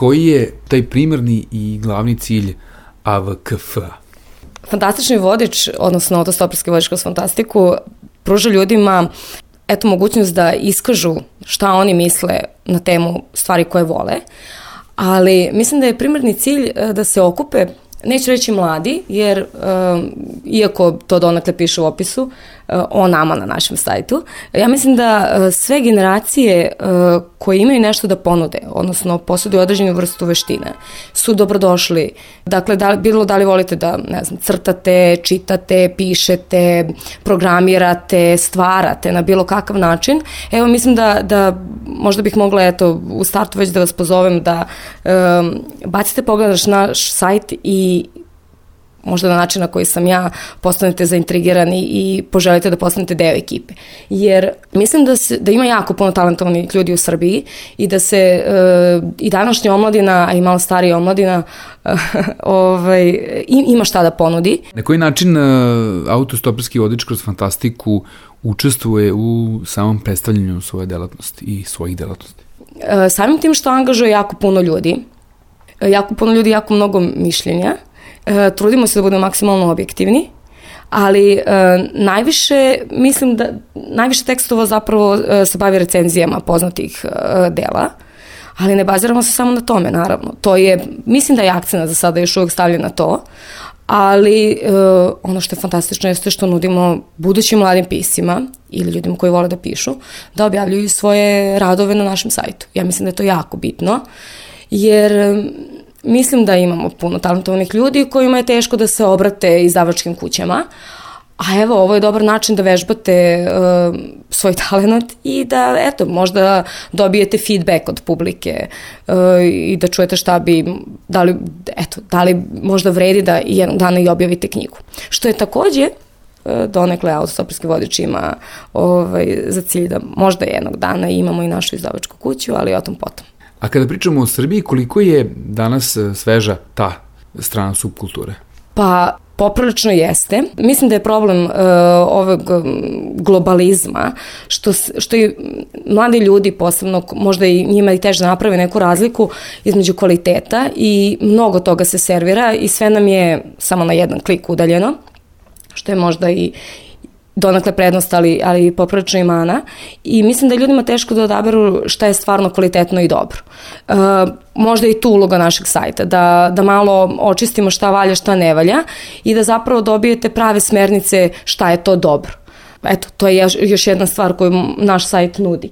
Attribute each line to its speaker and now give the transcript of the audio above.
Speaker 1: Koji je taj primarni i glavni cilj AVKF-a?
Speaker 2: Fantastični vodič, odnosno autostoperski vodič kroz fantastiku, pruža ljudima mogućnost da iskažu šta oni misle na temu stvari koje vole, ali mislim da je primarni cilj da se okupe, neću reći mladi, jer iako to donekle piše u opisu o nama na našem sajtu, ja mislim da sve generacije koje imaju nešto da ponude, odnosno posjeduju određenu vrstu veštine, su dobrodošli. Dakle, da li volite da, ne znam, crtate, čitate, pišete, programirate, stvarate na bilo kakav način. Evo, mislim da možda bih mogla, u startu već da vas pozovem da bacite pogled na naš sajt i možda na način na koji sam ja postanete zaintrigirani i poželite da postanete deo ekipe. Jer mislim da ima jako puno talentovanih ljudi u Srbiji i da se i današnja omladina, a i malo starija omladina ima šta da ponudi.
Speaker 1: Na koji način autostoperski vodič kroz fantastiku učestvuje u samom predstavljanju svoje delatnosti i svojih delatnosti?
Speaker 2: Samim tim što angažuje jako puno ljudi, jako mnogo mišljenja, trudimo se da budemo maksimalno objektivni, ali najviše tekstova zapravo se bavi recenzijama poznatih dela, ali ne baziramo se samo na tome, naravno. Mislim da je akcent za sada još uvijek stavljen na to, ali ono što je fantastično jeste što nudimo budućim mladim piscima ili ljudima koji vole da pišu, da objavljuju svoje radove na našem sajtu. Ja mislim da je to jako bitno, jer mislim da imamo puno talentovanih ljudi kojima je teško da se obrate izdavačkim kućama, a evo, ovo je dobar način da vežbate svoj talent i da, možda dobijete feedback od publike i da čujete šta bi, da li možda vredi da jednog dana i objavite knjigu. Što je takođe donekle autostoperski vodič ima za cilj da možda jednog dana imamo i našu izdavačku kuću, ali o tom potom.
Speaker 1: A kada pričamo o Srbiji, koliko je danas sveža ta strana subkulture?
Speaker 2: Pa, poprilično jeste. Mislim da je problem ovog globalizma, što i mladi ljudi posebno, možda i njima i teže naprave neku razliku između kvaliteta i mnogo toga se servira i sve nam je samo na jedan klik udaljeno, što je možda i donekle prednost, ali poprilično i mana. I mislim da je ljudima teško da odaberu šta je stvarno kvalitetno i dobro. Možda i tu uloga našeg sajta, da malo očistimo šta valja, šta ne valja i da zapravo dobijete prave smernice šta je to dobro. To je još jedna stvar koju naš sajt nudi.